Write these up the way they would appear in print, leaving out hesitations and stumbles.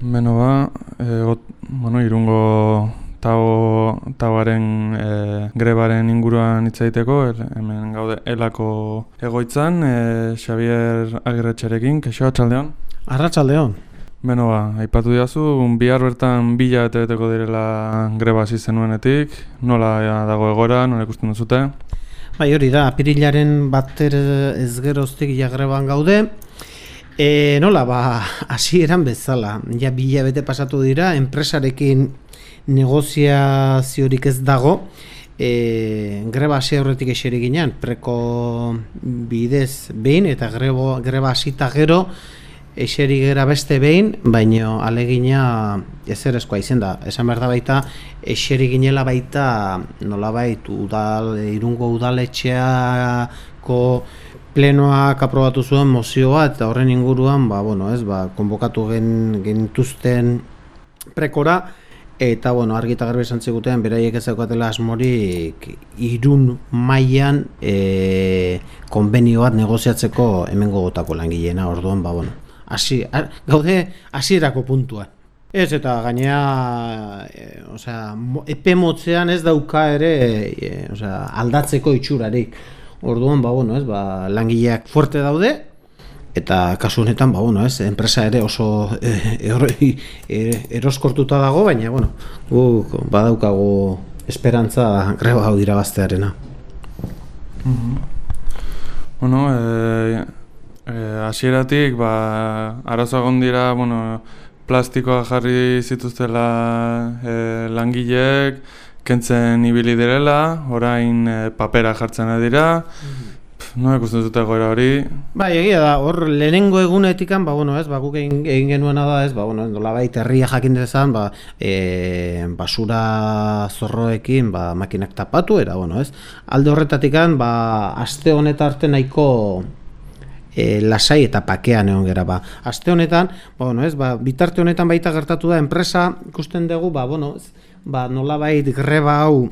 Beno Irungo tauaren grebaren inguruan hitz egiteko, hemen gaude elako egoitzan, Xabier Agirretxerekin, kaixo, arratsaldeon? Arratsaldeon. Beno aipatu diazu, bihar bertan 2 hilabete beteko direla greba hasi zenuenetik, nola dago egoera, nola ikusten duzute? Bai, hori da, apirilaren bater ez geroztik ja greban gaude. Nola, hasieran bezala, ja 2 hilabete pasatu dira, enpresarekin negoziaziorik ez dago, greba hasi aurretik eseri ginen, preko bidez behin, eta greba hasita gero eseri gera beste behin, baino alegina ezerezkoa izen da. Esan behar da baita, eseri ginela baita nolabait Irungo udaletxeako plenoak aprobatu zuen mozio bat, eta horren inguruan konbokatu genituzten prekora, eta argi eta garbi esan ziguten beraiek ez daukatela asmorik Irun mailan konbenio bat negoziatzeko hemengo gotako langileena. Orduan gaude hasierako puntuan. Ez, eta gainea epe motzean ez dauka ere aldatzeko itxurarik. Orduan langileak fuerte daude, eta kasu honetan enpresa ere oso eroskortuta dago, baina guk badaukagu esperantza greba hau irabaztearena. Hasieratik arazoa egon dira, plastikoa jarri zituztela langileek, kentzen ibili direla, orain papera jartzen dira. No ikusten dute goera hori. Bai, egia da, hor lehenengo egunetikan, guk egin genuena da, nolabait herria jakin dezan, basura zorroekin makinak tapatu, alde horretatikan, aste honetan arte nahiko lasai eta pakean egon gera. Aste honetan, bitarte honetan baita gertatu da, enpresa ikusten dugu, nolabait greba hau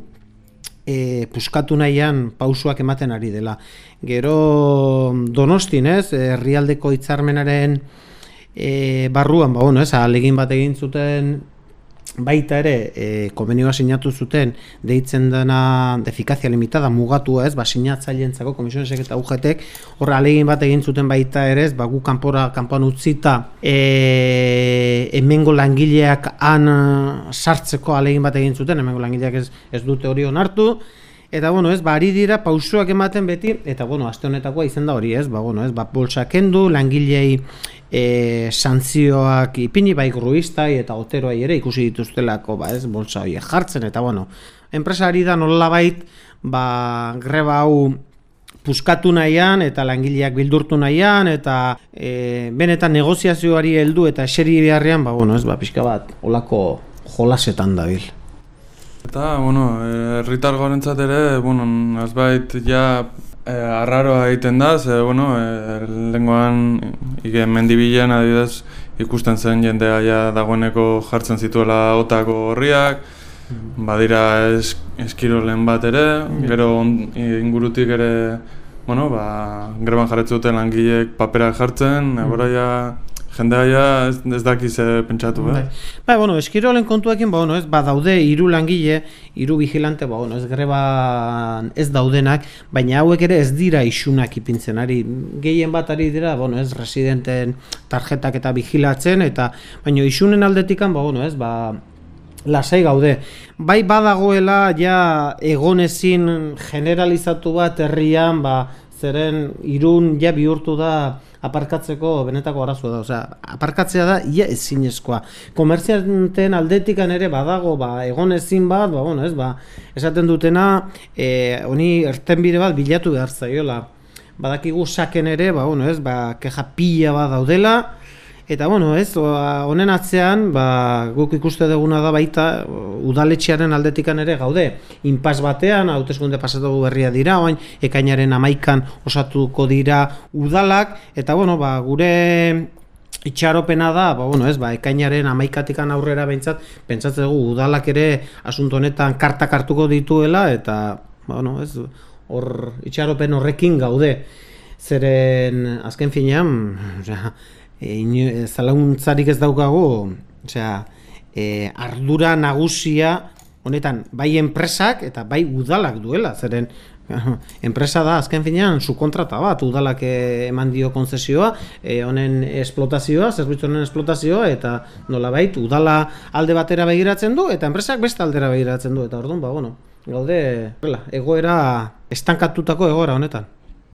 puskatu nahian pausuak ematen ari dela. Gero Donostin, herrialdeko hitzarmenaren barruan, ahalegin bat egin zuten baita ere, konbenioa sinatu zuten, deitzen dena efikazia limitada mugatua, sinatzaileentzako komisionesek eta UGTek, horra ahalegin bat egin zuten baita ere, gu kanpoan utzita hemengo langileak han sartzeko ahalegin bat egin zuten, hemengo langileak ez dute hori onartu, eta ari dira pausoak ematen beti, eta aste honetakoa izen da hori, bolsa kendu, langilei santzioak ipini, gruistai eta oteroai ere ikusi dituztelako bolsa horiek jartzen, eta enpresa ari da nolabait greba hau puskatu nahian eta langileak bildurtu nahian, eta benetan negoziazioari heldu eta eseri beharrean pixka bat olako jolasetan dabil. Eta, herritar gorentzat ere, azbait ja arraroa egiten da, lehengoan mendibilen adibidez ikusten zen jendea ja dagoeneko jartzen zituela otako horriak, badira eskirolen bat ere, gero ingurutik ere, greban jarretze duten langileek paperak jartzen, jendea ez dakiz pentsatu, eskirolen kontuekin, daude 3 langile, 3 vigilante, ez greban ez daudenak, baina hauek ere ez dira isunak ipintzen ari, gehien bat ari dira, ez residenten tarjetak eta vigilatzen, baina isunen aldetikan, lasai gaude. Bai badagoela ja egonezin generalizatu bat herrian, zeren Irun ja bihurtu da aparkatzeko benetako arazoa da, aparkatzea da ia ezinezkoa. Komertzianten aldetikan ere badago egon ezin bat, esaten dutena honi irtenbide bat bilatu behar zaiola. Badakigu saken ere, keja pila bat daudela, eta honen atzean guk ikuste duguna da baita udaletxearen aldetikan ere gaude. Inpas batean, hauteskunde pasatu berria dira, ekainaren 11an osatuko dira udalak, eta gure itxaropena da, ekainaren 11atikan aurrera pentsatzen dugu udalak ere asunto honetan kartak hartuko dituela, eta hor itxaropen horrekin gaude. Zeren azken finean, zalauntzarik ez daukagu Osea, ardura nagusia honetan bai enpresak eta bai udalak duela, zeren enpresa da azken finean subkontrata bat, udalak eman dio konzesioa, honen esplotazioa, zerbitzu honen esplotazioa, eta nolabait udala alde batera begiratzen du eta enpresak beste aldera begiratzen du, eta orduan, gaude egoera estankatutako egoera honetan.